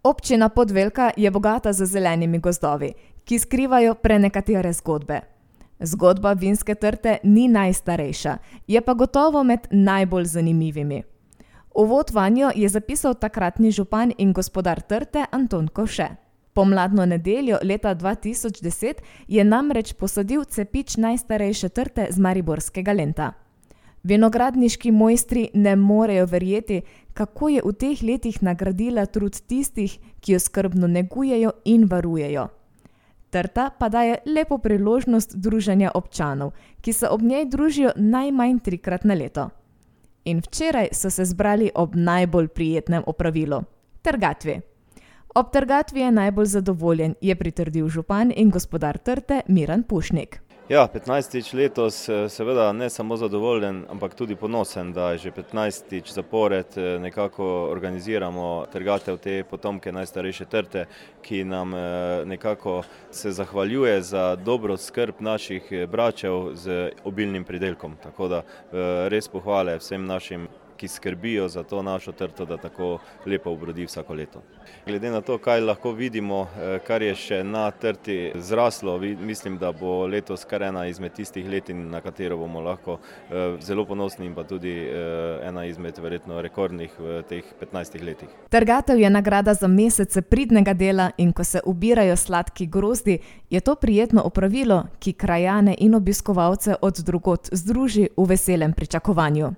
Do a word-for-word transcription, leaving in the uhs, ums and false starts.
Občina Podvelka je bogata z zelenimi gozdovi, ki skrivajo prenekatere zgodbe. Zgodba vinske trte ni najstarejša, je pa gotovo med najbolj zanimivimi. Uvod vanjo je zapisal takratni župan in gospodar trte Anton Kovše. Pomladno nedeljo leta dva tisoč deset je namreč posadil cepič najstarejše trte z mariborskega Lenta. Vinogradniški mojstri ne morejo verjeti, kako je v teh letih nagradila trud tistih, ki jo skrbno negujejo in varujejo. Trta pa daje lepo priložnost druženja občanov, ki se ob njej družijo najmanj trikrat na leto. In včeraj so se zbrali ob najbolj prijetnem opravilu – trgatvi. Ob trgatvi je najbolj zadovoljen, je pritrdil župan in gospodar trte Miran Pušnik. Ja, petnajstič letos seveda ne samo zadovoljen, ampak tudi ponosen, da že petnajstič zapored nekako organiziramo trgatev te potomke najstarejše trte, ki nam nekako se zahvaljuje za dobro skrb naših bračev z obilnim pridelkom. Tako da res pohvale vsem našim, ki skrbijo za to našo trto, da tako lepo obrodi vsako leto. Glede na to, kaj lahko vidimo, kar je še na trti zraslo, mislim, da bo letos kar ena izmed tistih letin, na katero bomo lahko zelo ponosni in pa tudi ena izmed verjetno rekordnih v teh petnajstih letih. Trgatev je nagrada za mesece pridnega dela in ko se ubirajo sladki grozdi, je to prijetno opravilo, ki krajane in obiskovalce od drugod združi v veselem pričakovanju.